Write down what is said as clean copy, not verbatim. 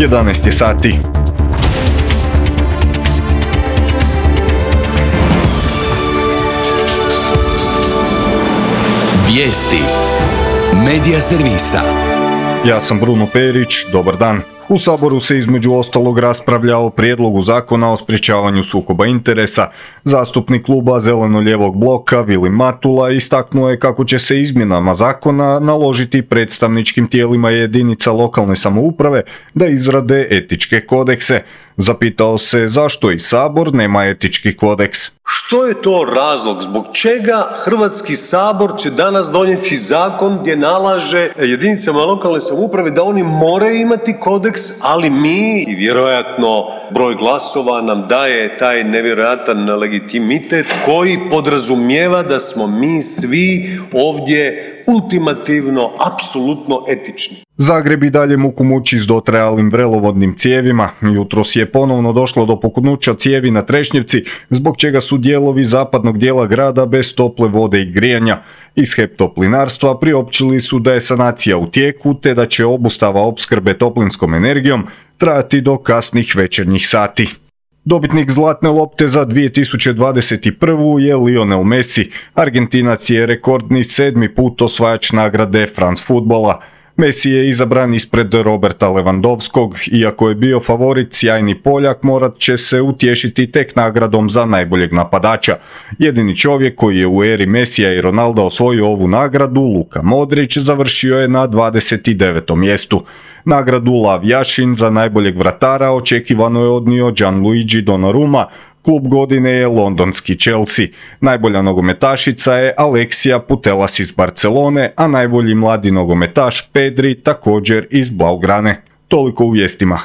11 je sati. Vijesti Medija servisa. Ja sam Bruno Perić, dobar dan. U Saboru se između ostalog raspravlja o prijedlogu zakona o sprječavanju sukoba interesa. Zastupnik kluba Zeleno-lijevog bloka Vilim Matula istaknuo je kako će se izmjenama zakona naložiti predstavničkim tijelima jedinica lokalne samouprave da izrade etičke kodekse. Zapitao se zašto i Sabor nema etički kodeks. Što je to razlog? Zbog čega Hrvatski sabor će danas donijeti zakon gdje nalaže jedinicama lokalne samouprave da oni moraju imati kodeks, ali mi, i vjerojatno broj glasova nam daje taj nevjerojatan legitimitet koji podrazumijeva da smo mi svi ovdje ultimativno, apsolutno etični. Zagreb i dalje muku muči s dotrajalim vrelovodnim cijevima. Jutros je ponovno došlo do puknuća cijevi na Trešnjevci, zbog čega su dijelovi zapadnog dijela grada bez tople vode i grijanja. Iz HEP Toplinarstva priopćili su da je sanacija u tijeku, te da će obustava opskrbe toplinskom energijom trajati do kasnih večernjih sati. Dobitnik zlatne lopte za 2021. je Lionel Messi. Argentinac je rekordni 7. put osvajač nagrade France Footballa. Messi je izabran ispred Roberta Lewandowskog, iako je bio favorit, sjajni Poljak morat će se utješiti tek nagradom za najboljeg napadača. Jedini čovjek koji je u eri Messija i Ronalda osvojio ovu nagradu, Luka Modrić, završio je na 29. mjestu. Nagradu Lav Jašin za najboljeg vratara očekivano je odnio Gianluigi Donnarumma. Klub godine je londonski Chelsea. Najbolja nogometašica je Alexia Putellas iz Barcelone, a najbolji mladi nogometaš Pedri također iz Blaugrane. Toliko u vijestima.